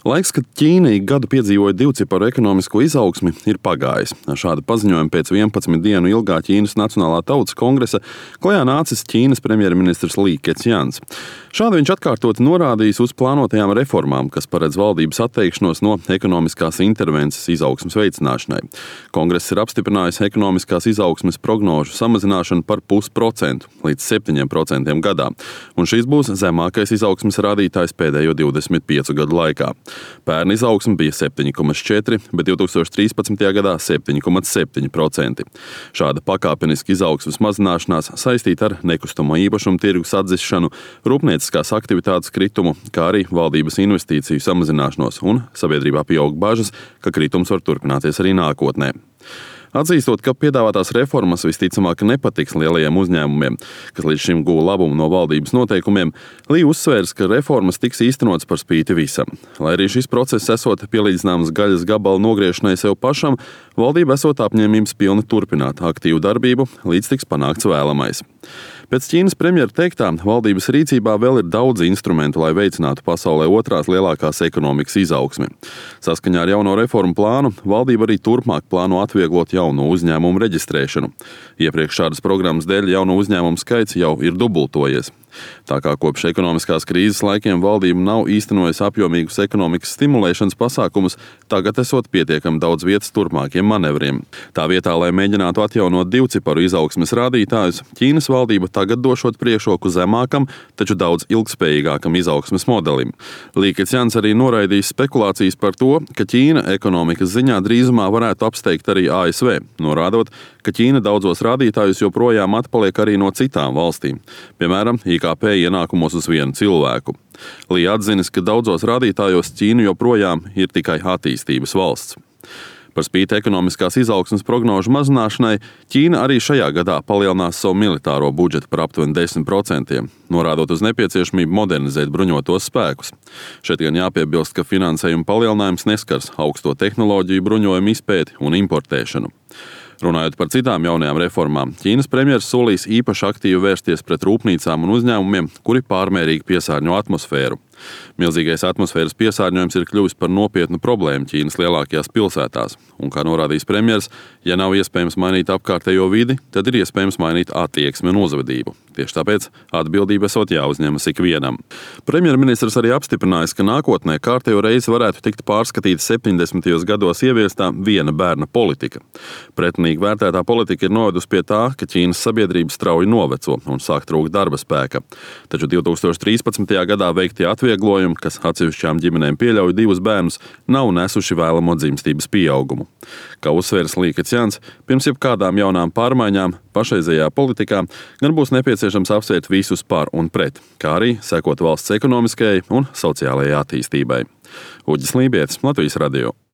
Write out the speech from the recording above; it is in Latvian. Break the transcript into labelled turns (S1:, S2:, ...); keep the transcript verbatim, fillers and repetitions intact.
S1: Laiks, kad Ķīna ik gadu piedzīvoja divciparu ekonomisko izaugsmi, ir pagājis. Ar šādu paziņojumu pēc vienpadsmit dienu ilgā Ķīnas Nacionālā tautas kongresa klajā nācis Ķīnas premjerministrs Lī Kecjans. Šādi viņš atkārtoti norādījis uz plānotajām reformām, kas paredz valdības atteikšanos no ekonomiskās intervences izaugsmes veicināšanai. Kongress ir apstiprinājis ekonomiskās izaugsmes prognožu samazināšanu par pusprocentu līdz septiņiem procentiem gadā, un šis būs zemākais izaugsmes rādītājs pēdējo divdesmit piecu gadu laikā. Pērn izaugsme bija septiņi komats četri, bet divtūkstoš trīspadsmitajā gadā septiņi komats septiņi procenti. Šāda pakāpeniska izaugsmes mazināšanās saistīta ar nekustamo īpašumu tirgus atdzišanu, rūpnieciskās aktivitātes kritumu, kā arī valdības investīciju samazināšanos, un sabiedrībā pieaug bažas, ka kritums var turpināties arī nākotnē. Atzīstot, ka piedāvātās reformas visticamāk nepatiks lielajiem uzņēmumiem, kas līdz šim guva labumu no valdības noteikumiem, Lī uzsvērs, ka reformas tiks īstenotas par spīti visam. Lai arī šis process esot pielīdzināms gaļas gabala nogriešanai sev pašam, valdība esot apņēmības pilni turpināt aktīvu darbību, līdz tiks panākts vēlamais. Pēc Ķīnas premjera teiktā, valdības rīcībā vēl ir daudz instrumentu, lai veicinātu pasaulē otrās lielākās ekonomikas izaugsmi. Saskaņā ar jauno reformu plānu, valdība arī turpmāk plāno atvieglot jauno uzņēmumu reģistrēšanu. Iepriekš šādas programmas dēļ jauno uzņēmumu skaits jau ir dubultojies. Tā kā kopš ekonomiskās krīzes laikiem valdība nav īstenojusi apjomīgus ekonomikas stimulēšanas pasākumus, tagad esot pietiekami daudz vietas turpmākiem manevriem. Tā vietā, lai mēģinātu atjaunot divciparu izaugsmes rādītājus, Ķīnas valdība tagad došot priekšroku zemākam, taču daudz ilgspējīgākam izaugsmes modelim. Lī Kecjans arī noraidījis spekulācijas par to, ka Ķīna ekonomikas ziņā drīzumā varētu apsteigt arī A S V, norādot, ka Ķīna daudzos rādītājus joprojām atpaliek arī no citām valstīm, piemēram, I K P ienākumos uz vienu cilvēku. Lī atzinis, ka daudzos rādītājos Ķīna joprojām ir tikai attīstības valsts. Par spīti ekonomiskās izaugsmes prognožu mazināšanai, Ķīna arī šajā gadā palielinās savu militāro budžetu par aptuveni desmit procentiem, norādot uz nepieciešamību modernizēt bruņotos spēkus. Šeit gan jāpiebilst, ka finansējuma palielinājums neskars augsto tehnoloģiju bruņojumu izpēti un importēšanu. Runājot par citām jaunajām reformām, Ķīnas premjers solīs īpaši aktīvi vērsties pret rūpnīcām un uzņēmumiem, kuri pārmērīgi piesārņo atmosfēru. Milzīgais atmosfēras piesārņojums ir kļuvis par nopietnu problēmu Ķīnas lielākajās pilsētās, un, kā norādījis premjers, ja nav iespējams mainīt apkārtējo vidi, tad ir iespējams mainīt attieksmi un uzvedību. Tieši tāpēc atbildība esot jāuzņemas ikvienam. Premjerministrs arī apstiprinājis, ka nākotnē kārtējo reizi varētu tikt pārskatīta septiņdesmitajos gados ieviestā viena bērna politika. Pretinīgi vērtētā politika ir novedusi pie tā, ka Ķīnas sabiedrība strauji noveco un sāk trūkt darba spēka. Taču divtūkstoš trīspadsmitajā gadā veiktie atvieglojumi, kas atsevišķām ģimenēm pieļauj divus bērnus, nav nesuši vēlamo dzimstības pieaugumu. Kā uzsvērs Lī Kecjans, pirms jebkādām jaunām pārmaiņām pašreizējā politikā gan būs nepieciešams apsvērt visus par un pret, kā arī sekot valsts ekonomiskajai un sociālajai attīstībai. Uģis Lībietis, Latvijas radio.